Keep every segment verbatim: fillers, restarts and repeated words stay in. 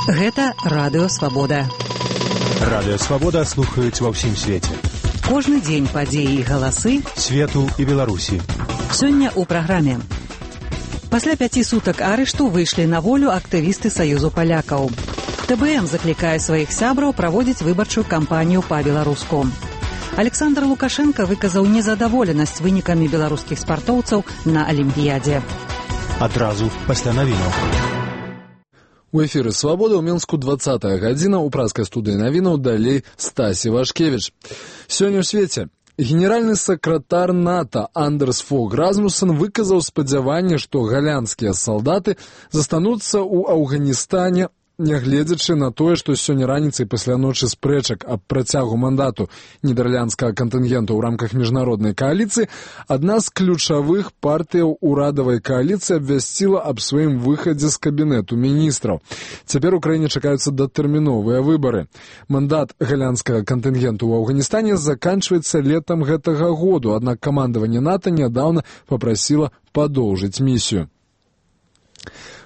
Гэта Радыё Свабода. Радыё Свабода слухаюць ва ўсім свеце. Кожны дзень падзеі і галасы свету і Беларусі. Сёння ў праграме. Пасля пяці сутак арышту выйшлі на волю актывісты Саюзу палякаў. ТБМ заклікае сваіх сябраў праводзіць выбарчую кампанію па-беларуску. Александр Лукашенко выказаў незадаволенасць вынікамі беларускіх спартоўцаў на Алімпіядзе. Адразу пасля навінаў. У эфіры «Свабода» ў Мінску двадцатая гадзіна, у праскай студыі навінаў далей Стасі Вашкевіч. Сёння ў свеце генеральны сакратар НАТО Андерс Фог Расмуссен выказаў спадзяванне, што галандскія салдаты застануцца ў Афганістане, нягледзячы на тое, што сёння раніцай пасля ночы спрэчак аб працягу мандату нідэрландскага кантынгенту ў рамках міжнароднай кааліцыі, адна з ключавых партыяў урадавай кааліцыі абвясціла аб сваім выхадзе з кабінету міністраў. Цяпер у краіне чакаюцца датэрміновыя выбары. Мандат галандскага кантынгенту ў Афганістане заканчваецца летам гэтага году, аднак камандаванне НАТО нядаўна папрасіла падоўжыць місію.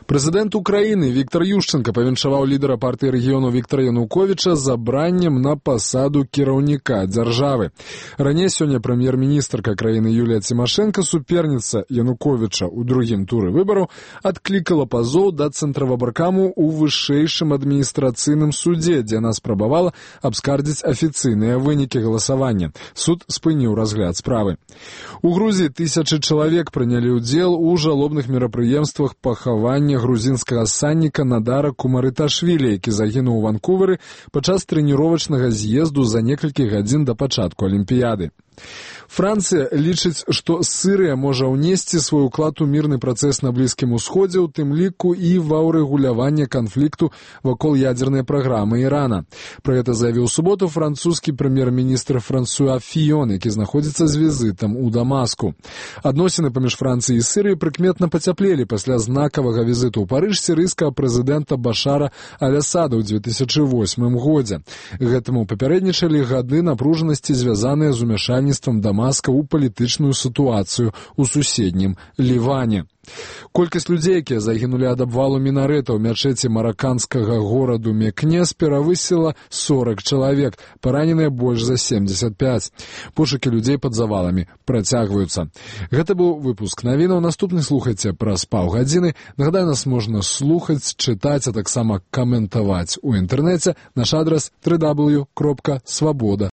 Прэзідэнт Украіны Віктор Ющенка павіншаваў лідара партыі рэгіёну Віктора Януковіча забраннем на пасаду кіраўніка дзяржавы. Раней сёння прэм'ер-міністрка краіны Юлія Цімашэнка, суперніца Януковіча ў другім туры выбараў, адклікала пазоў да цэнтравабаркаму ў вышэйшым адміністрацыйным судзе, дзе яна спрабавала абскардзіць афіцыйныя вынікі галасавання. Суд спыніў разгляд справы. У Грузіі тысячы чалавек прынялі ўдзел у жалобных мерапрыемствах пахавання грузінскага санніка Надара Кумарыташвілі, які загінуў у Ванкувері падчас трэніровачнага з'езду за некалькі гадзін да пачатку Алімпіяды. Францыя лічыць, што Сірыя можа ўнесці свой уклад у мірны працэс на Блізкім Усходзе, у тым ліку і ва ўрэгуляванне канфлікту вакол ядзернай праграмы Ірана. Пра гэта заявіў у суботу французскі прэм'ер-міністр Франсуа Фіён, які знаходзіцца з візітам у Дамаску. Адносіны паміж Францыяй і Сірыяй прыкметна пацяплелі пасля знакавага візіту ў Парыж сірыйскага прэзідэнта Башара Аль-Асада ў дзве тысячы восьмым годзе. Гэтаму папярэднічалі гады напружанасці, звязаныя з умяшальніцтвам Дамаска ў палітычную сітуацыю ў суседнім Ліване. Колькасць людзей, якія загінулі ад абвалу мінарэта ў мячэці мараканскага гораду Мекнес, перавысіла сорак чалавек, параненыя больш за семьдесят пять. Пошукі людзей пад заваламі працягваюцца. Гэта быў выпуск навінаў. Наступны слухайце праз паўгадзіны. Нагадаю, нас можна слухаць, чытаць, а таксама каментаваць у інтэрнэце. Наш адрас дабл ю дабл ю дабл ю кропка свабода